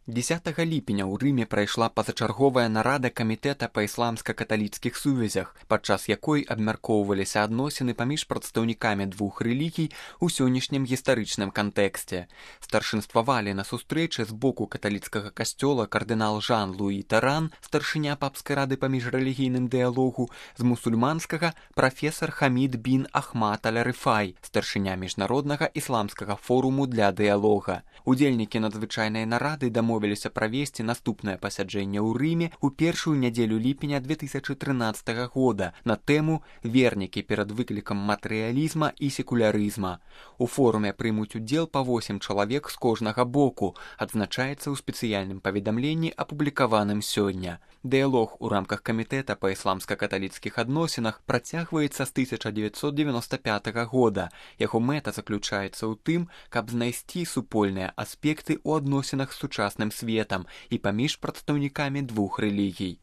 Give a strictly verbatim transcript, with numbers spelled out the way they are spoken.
дзесятага ліпеня ў Рыме прайшла пазачарговая нарада камітэта па ісламска-каталіцкіх сувязях, падчас якой абмяркоўваліся адносіны паміж прадстаўнікамі двух рэлігій у сённяшнім гістарычным кантэксце. Старшынствавалі на сустрэчы з боку каталіцкага касцёла кардынал Жан-Луі Таран, старшыня папскай рады па міжрэлігійным дыялогу, з мусульманскага прафесар Хамід бін Ахмад аль-Рыфай, старшыня міжнароднага ісламскага форуму для дыялога. Удзельнікі надзвычайнай нарады дамовіліся правесці наступнае пасяджэнне ў Рыме ў першую нядзелю ліпеня две тысячы трынаццатага года на тэму «Вернікі перад выклікам матэрыялізма і секулярызма». У форуме прымуць удзел па восем чалавек з кожнага боку, адзначаецца ў спецыяльным паведамленні, апублікаваным сёння. Дыялог у рамках камітэта па ісламска-каталіцкіх адносінах працягваецца з тысяча дзевяцьсот дзевяноста пятага года. Яго мэта заключаецца ў тым, каб знайсці супольныя аспекты ў адносінах з сучасным светам і паміж прадстаўнікамі двух рэлігій.